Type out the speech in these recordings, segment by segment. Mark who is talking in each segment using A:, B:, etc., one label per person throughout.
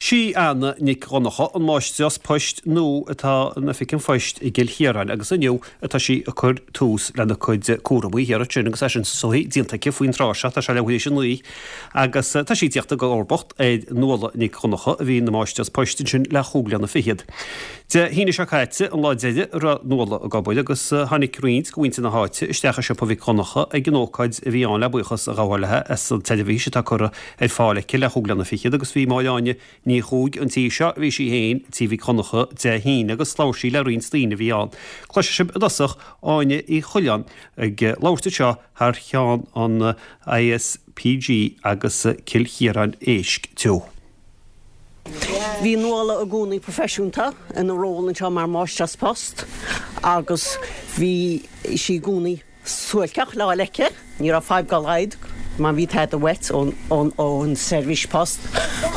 A: Sí Anna Nic Dhonncha an máistreás poist nua atá in Oifig an Phoist i gCill Chiaráin agus inniu atá sí ag cur tús lena cuid cúramaí thiar ansin agus é sin is dóigh déanta aici faoin tráth seo, tá sé leathuair théis 9 agus tá sí ag tíocht i gcomharbacht ar Nuala Nic Dhonncha a bhí ina máistreás poist ansin le chúig bliana fichead. Dé hAoine seo caite an lá deiridh a raibh Nuala ag obair agus tháinig roinnt de mhuintir na háite isteach i siopa Mhic Dhonncha ag an ócáid a bhí ann le buíochas a ghabháil léi as an tseirbhís atá curtha ar fáil aici le chúig bliana fichead agus bhí Máire Áine Ní Chuaig an tí seo, bhí sí féin tí Mhic Dhonncha Dé hAoine agus labhair sí le roinnt daoine a bhí ann. Cloisfidh sibh i dtosach Áine Uí Choileáin ag labhairt anseo thar cheann an ISPG agus Cill Chiaráin Éisc Teo.
B: Bhí Nuala i gcónaí proifisiúnta ina ról anseo mar Mháistreás Post agus bhí sí i gcónaí suáilceach le fháil aici. Ní raibh fadhb dá laghad má bhí tada uait ón seirbhís post.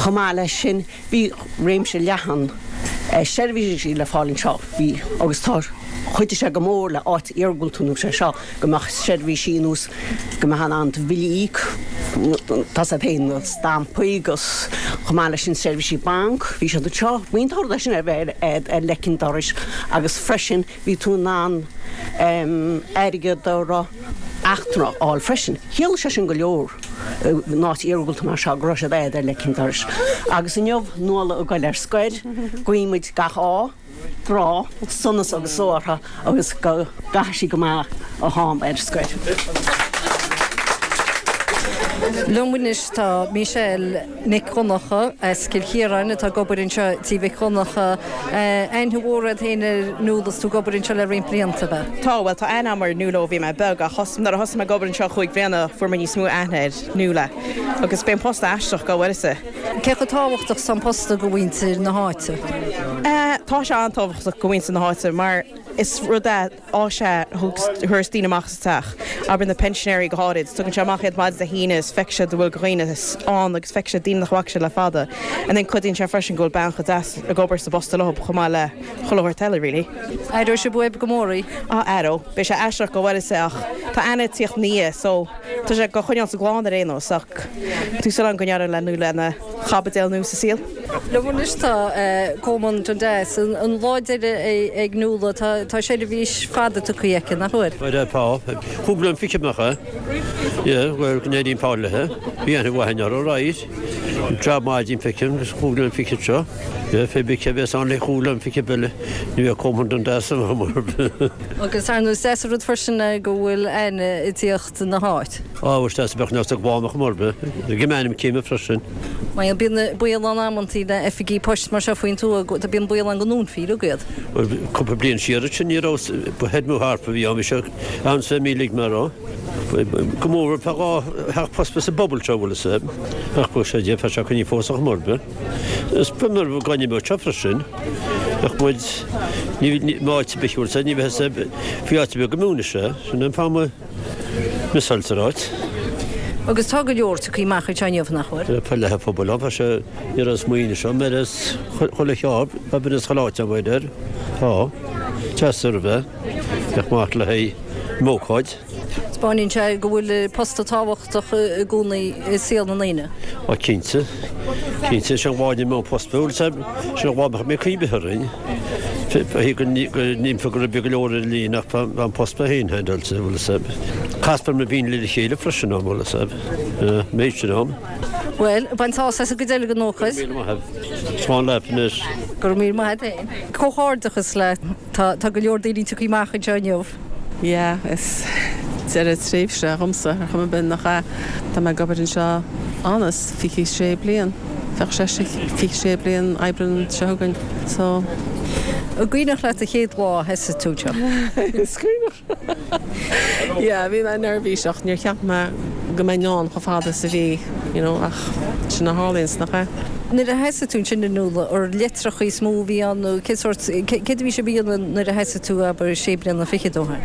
B: Chomh maith leis sin, bhí réimse leathan seirbhísí le fáil anseo. Bhí, agus tá, chuidigh sé go mór le áit iargúlta ar nós é seo, go mbeadh seirbhísí ar nós go mbeifeá in ann do bhillí a íoc, tá a fhios agat féin, na stampaí agus chomh maith leis sin seirbhísí banc, bhí siad anseo. Bhí an rud sin ar bheith ar leic an dorais agus freisin Bhí tú in ann airgead a raibh eachtrannach a fháil freisin. Chiallaigh sé sin go leor in áit iargúlta mar seo go raibh siad agat ar leic an dorais. Agus inniu, Nuala ag goil ar scoir, guímid gach ádh, grá, sonas agus só uirthi agus go gcaithfidh sí go maith a ham ar scoir.
C: Liom anois tá Michelle Nic Dhonncha as Cill Chiaráin atá ag obair anseo Tí Mhic Dhonncha. Aithne mhór agat féin ar Nuala is tú ag obair anseo le roinnt blianta, ab ea?
D: Tá, bhuel tá aithne agam ar Nuala ó bhí mé beag ach nuair a thosaigh mé ag obair anseo chúig bhliana fuair mé níos mó aithne ar Nuala agus b'é an post aisteach go bhfuil fhios.
C: Cé chomh tábhachtach is atá an post do mhuintir na háite?
D: Tá sé an-tábhachtach do mhuintir na háite mar is rud é áis é a thabharfas daoine amach as an teach, abair na pensionairí go háirid. Tugann sé amach iad maidin Dé hAoine is feicfidh siad an bhfuil dhaoine ann agus feicfidh siad daoine nach bhfaca siad le fada. And then cuidíonn sé freisin go bhfuil bean chomh deas ag obair sa bposta leo chomh maith le chuile shórt eile really.
C: Aireoidh sibh uaibh go mór í?
D: Ah aireoidh. Beidh sé aisteach go bhfuil fhios ach tá Anna ag tíocht ina dhiaidh so tá sé go choinneáil sa gclann ar aon nós ach tá súil agam go n-éireoidh le Nuala ina chaibidil nua sa saol.
C: Liom anois tá Colmán Dundas. An lá deiridh ag Nuala. Tá seirbhís fada tugtha aici, nach bhfuil?
E: Bhuel, tá. Chúig bliana fichead nach ea? Yeah, bhuel, go n-éirí an fearr léi. Bhí aithne mhaith againn uirthi, right. Jab maith déanta aici agus chúig bliana fichead seo. Yeah, fé bith cé bhéas ann le chúig bliana fichead eile, ní bheadh Colmán Dundas ann mar.
C: Agus ar ndóigh is deas an rud freisin é go bhfuil Anna ag tíocht na háit.
E: Á, is deas a bheadh neart ag bánach mar bith. Ag m'ainm céime freisin.
C: Mar bíonn baol ann amantaí le oifigí poist mar seo faoin tuath, bíonn baol ann go ndúnfaí uilig iad.
E: Bhuel, cúpla bliain siar ansin ní raibh, ba feirmeoir harp a bhí ann, bhí sé ann sa mílig mar raibh. Go mór tá dhá theach post sa bpobal seo, bhfuil fhios a'd. Ach bheadh sé déarfá sé coinní fós ach mar bith. Is ba mar gainne beag seo freisin. Ach muid, ní, áit ar bith, bhfuil fhios a'd, ní bheadh fhios a'd faoi áit ar bith go múineadh sé. Sin an fáth Misáil sa áit.
C: Agus tá go leor tagtha amach anseo inniu, nach bhfuil?
E: Tá leath an phobail ann, tá sé ní raibh smaoineamh seo, mar is chuile cheárd, tá duine as chuile áit ann, b'fhéidir. Tá. Deas ar bith. Bheadh maith le haghaidh m'ócáid.
C: Taispeáineann sé go bhfuil posta tábhachtach i gcónaí i saol na ndaoine.
E: Á cinnte. Cinnte, sin an bháine mé an post. Bhuel, sin an bháine mé cuimhne orainn. Go n-imfeadh go raibh go leor ar líne ach tá an post mé féin handled, bhfuil fhios a'd. Castar na daoine le chéile freisin ann, bhfuil fhios a'd. Méid sin ann.
C: Bhuel, bain sásamh as an gcuid eile den ócáid.
E: Go raibh míle maith agat. Slán leat anois.
C: Go raibh míle maith agat féin. Comhghairdeachas leat. Tá go leor daoine tagtha amach anseo inniu.
F: Yeah, is deireadh tréimhse dhomsa ar chuma ar bith, nach ea? Tá mé ag obair anseo anois 26 bliain. Bheadh sé 26 bliain Aibreán seo chugainn so.
C: An gcuimhneach leat an chéad lá a thosaigh tú anseo?
F: Is cuimhneach. Yeah, bhí mé neirbhíseach, níor cheap mé go mbeinn ann chomh fada is a bhí, you know, ach sin a tharlaíonns, nach ea?
C: Nuair a thosaigh tú ansin a Nuala, ar litreacha is mó a bhí ann nó cén sórt, céard a bhí sibh a dhéanamh nuair a thosaigh tú, abair, sé bliana fichead ó shin?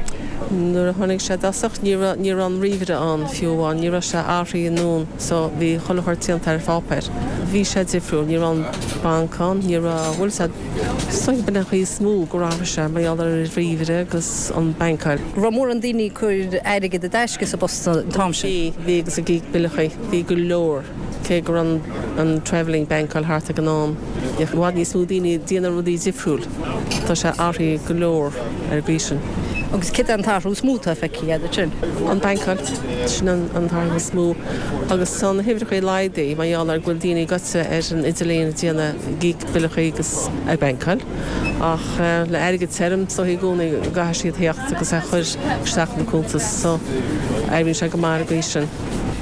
F: Nuair a tháinig sé i dtosach ní raibh, ní raibh an ríomhaire ann fiú amháin, ní raibh sé athraithe anonn. So bhí chuile shórt déanta ar pháipéar. Bhí sé difriúil, ní raibh an banc ann, ní raibh, bhfuil fhios a'd, is dóigh b'in an chaoi is mó gur athraigh sé mar gheall ar an ríomhaire agus an bankáil.
C: Raibh mórán daoine ag cur airgead i dtaisce sa bpost an t-am sin?
F: Bhí, bhí agus ag íoc billeachaí, bhí go leor. Cé go raibh an travelling bankáil thart ag an am, bhí i bhfad níos mó daoine ag déanamh rudaí difriúil. Tá sé athraithe go leor ar an gcaoi sin.
C: Agus céard é an t-athrú is mó atá feicthe agat ansin?
F: An bankáil, sin an t-athrú is mó. Agus tá na huimhreacha laghdaithe mar gheall ar go bhfuil daoine gaite ar an idirlíon ag déanamh ag íoc billeachaí agus ag bankáil. Ach le airgead tirim, is dóichí i gcónaí go gcaithfidh siad theacht agus é a chur isteach ina cuntas. So, éiríonn sé go maith ar an gcaoi sin.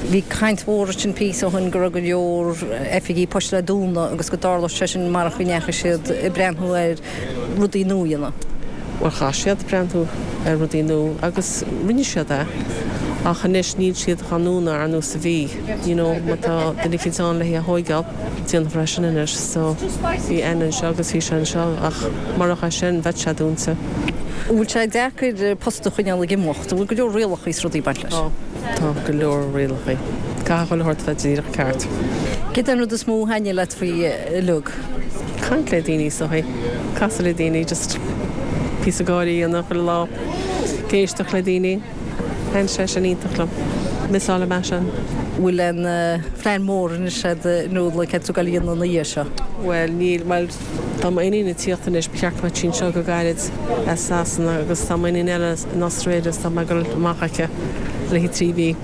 C: Bhí caint mhór ansin píosa ó shin go raibh go leor oifigí poist le dúnadh agus go dtarlódh sé sin marach go ndeachaigh siad ag breathnú ar rudaí nua a dhéanamh.
F: Bhuel chaith siad breathnú ar rudaí nua agus rinne siad é ach anois níl siad á ndúnadh ar nós a bhí, you know má tá duine eicínt ann le hé a thóigeáil déanfar é sin anois so bhí Anna anseo agus bhí sé anseo ach murach é sin bheadh sé dúnta.
C: An bhfuil sé deacair post a choinneáil ag imeacht? An bhfuil go leor rialacha is rudaí ag baint leis?
F: Tá. Tá go leor rialacha. Caithfidh chuile shórt a bheith díreach ceart.
C: Céard é an rud is mó a thaitníonn leat faoi uilig?
F: Caint le daoine is dóichí. Casadh le daoine, just píosa gáire a dhéanamh chuile lá. Ag éisteacht le daoine. Thaitníonn sé sin iontach liom. Missáilfidh mé sin.
C: Bhfuil aon phlean mór anois agat Nuala céard tá tú ag goil a dhéanamh ina dhiaidh seo?
F: Bhuel níl, bhuel tá m'iníon ag tíocht anois, ba cheart go mbeadh sí anseo go gairid as Sasana agus tá m'iníon eile in Australia so tá mé ag dul amach aici le haghaidh 3 mhí.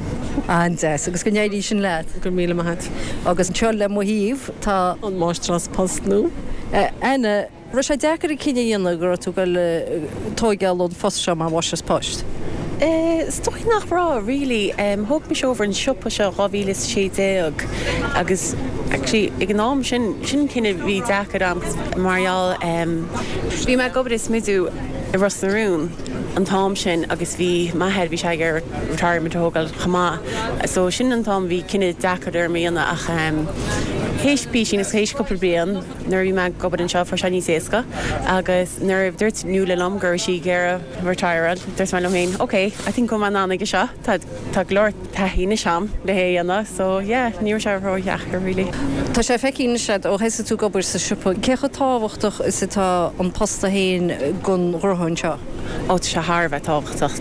C: An-deas. Agus go n-éirí sin leat.
F: Go raibh míle maith agat.
C: Agus anseo le mo thaobh tá.
F: An Máistreás Post nua.
C: Anna, raibh sé deacair an cinneadh a dhéanamh go raibh tú ag goil tóigeáil ón phost seo mar Mháistreás Poist?
G: Is dóigh nach raibh, really. Thóg mise over an siopa seo 2016 agus actually ag an am sin, sin an cinneadh a bhí deacair a'm mar gheall, bhí mé ag obair i smidiú i Ros na Rún an t-am sin agus bhí m'athair, bhí sé ag iarraidh retirement a thógáil chomh maith so sin an t-am a bhí cinneadh deacair orm a dhéanamh ach théis písín is théis cúpla bliain nuair a bhí mé ag obair anseo fuair sé níos éasca agus nuair a dúirt Nuala liom go raibh sí ag iarraidh retireáil dúirt mé liom féin ok I think go bhfuil mé in ann aige seo tá Tá go leor taithí anois a'm le hé a dhéanamh so yeah ní raibh sé ró-dheacair really.
C: Tá sé feicthe anois a'd ó thosaigh tú ag obair sa siopa, cé chomh tábhachtach is atá an posta féin don ghnótha anseo?
G: Ó tá sé thar a bheith tábhachtach.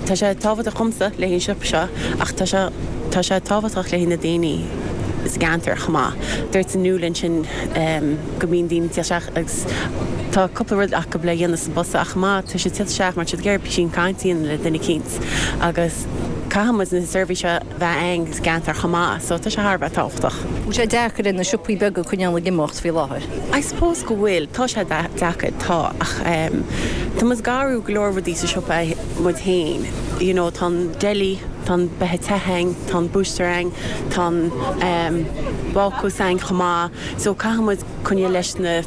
G: Tá sé tábhachtach dhomsa le haghaidh an siopa seo ach tá sé tá sé tábhachtach le haghaidh na daoine sa gceantar chomh maith. Dúirt Nuala ansin go mbíonn daoine ag tíocht isteach agus tá cúpla rud acu le dhéanamh sa bposta ach chomh maith tá siad ag tíocht isteach mar tá siad ag iarraidh písín cainte a dhéanamh le duine eicínt. agus caithfidh muid na seirbhísí a bheith againn sa gceantar chomh maith so tá sé thar a bheith tábhachtach.
C: Bhfuil sé deacair ar na siopaí beaga coinneáil ag imeacht faoi láthair?
G: I suppose go bhfuil, tá sé deacair, tá, ach tá muid ag athrú go leor rudaí sa siopa muid féin, you know tá an deli, tá an beatha te againn, tá an búister againn, tá an bácús againn chomh maith so caithfidh muid coinneáil leis na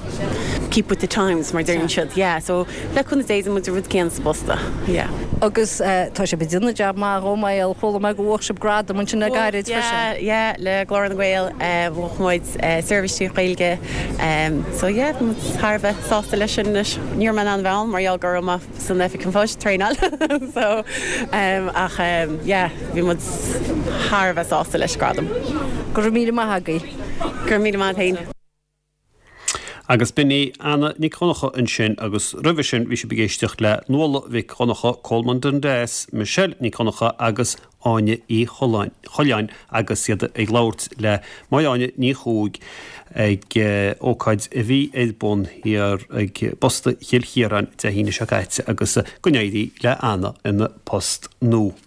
G: keep with the times mar deireann siad, yeah so Le cúnamh Dé déanfaidh muid an rud céanna sa bposta, yeah.
C: Agus tá sibh ag déanamh jab maith dhó mar gheall, chuala mé go bhuaigh sibh gradam ansin le gairid freisin.
G: Yeah, yeah, le Glór na nGael, bhuaigh muid seirbhís trí Ghaeilge, so yeah, bhí muid thar a bheith sásta leis sin anois. Ní raibh mé in ann a bheith ann mar gheall go raibh mé san Oifig an Phoist, traenáil, so ach yeah, bhí muid thar a bheith sásta leis an gradam.
C: Go raibh míle maith agaibh.
G: Go raibh míle maith agat féin.
A: Agus b'in í Anna Nic Dhonncha ansin agus roimhe sin bhí sibh ag éisteacht le Nuala Mhic Dhonncha, Colman Dundas, Michelle Nic Dhonncha agus Áine Uí Choileáin agus iad ag labhairt le Máire Áine Ní Chuaig ag ócáid a bhí ar bun thiar ag Posta Chill Chiaráin Dé hAoine seo caite agus go n-éirí le Anna ina post nua.